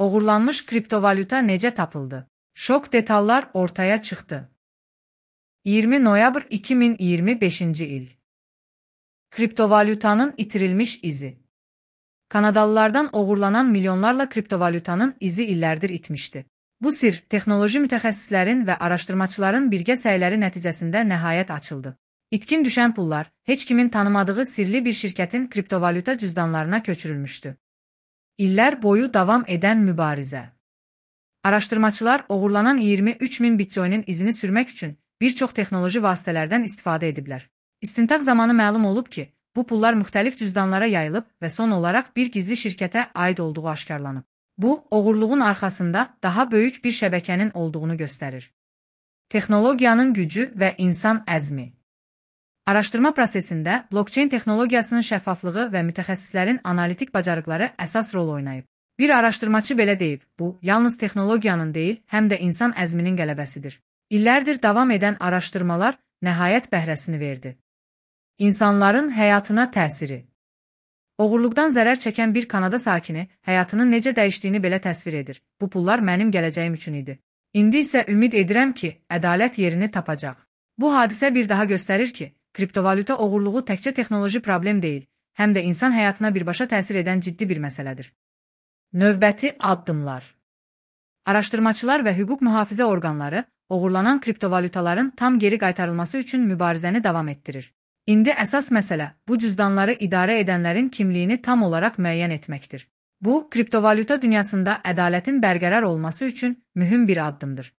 Oğurlanmış kriptovalyuta necə tapıldı? Şok detallar ortaya çıxdı. 20 noyabr 2025 il. Kriptovalyutanın itirilmiş izi. Kanadalılardan oğurlanan milyonlarla kriptovalyutanın izi illərdir itmişdi. Bu sir, texnoloji mütəxəssislərin və araşdırmaçıların birgə səyləri nəticəsində nəhayət açıldı. İtkin düşən pullar, heç kimin tanımadığı sirli bir şirkətin kriptovalyuta cüzdanlarına köçürülmüşdü. İllər boyu davam edən mübarizə. Araşdırmaçılar oğurlanan 23.000 bitcoinin izini sürmək üçün bir çox texnoloji vasitələrdən istifadə ediblər. İstintaq zamanı məlum olub ki, bu pullar müxtəlif cüzdanlara yayılıb və son olaraq bir gizli şirkətə aid olduğu aşkarlanıb. Bu, oğurluğun arxasında daha böyük bir şəbəkənin olduğunu göstərir. Texnologiyanın gücü və insan əzmi. Araşdırma prosesində blockchain texnologiyasının şəffaflığı və mütəxəssislərin analitik bacarıqları əsas rol oynayıb. Bir araşdırmaçı belə deyib, bu, yalnız texnologiyanın deyil, həm də insan əzminin qələbəsidir. İllərdir davam edən araşdırmalar nəhayət bəhrəsini verdi. İnsanların həyatına təsiri. Oğurluqdan zərər çəkən bir Kanada sakini həyatının necə dəyişdiyini belə təsvir edir. Bu pullar mənim gələcəyim üçün idi. İndi isə ümid edirəm ki, ədalət yerini tapacaq. Bu hadisə bir daha göstərir ki, kriptovalyuta oğurluğu təkcə texnoloji problem deyil, həm də insan həyatına birbaşa təsir edən ciddi bir məsələdir. Növbəti addımlar. Araşdırmaçılar və hüquq mühafizə orqanları oğurlanan kriptovalyutaların tam geri qaytarılması üçün mübarizəni davam etdirir. İndi əsas məsələ bu cüzdanları idarə edənlərin kimliyini tam olaraq müəyyən etməkdir. Bu, kriptovalyuta dünyasında ədalətin bərqərar olması üçün mühüm bir addımdır.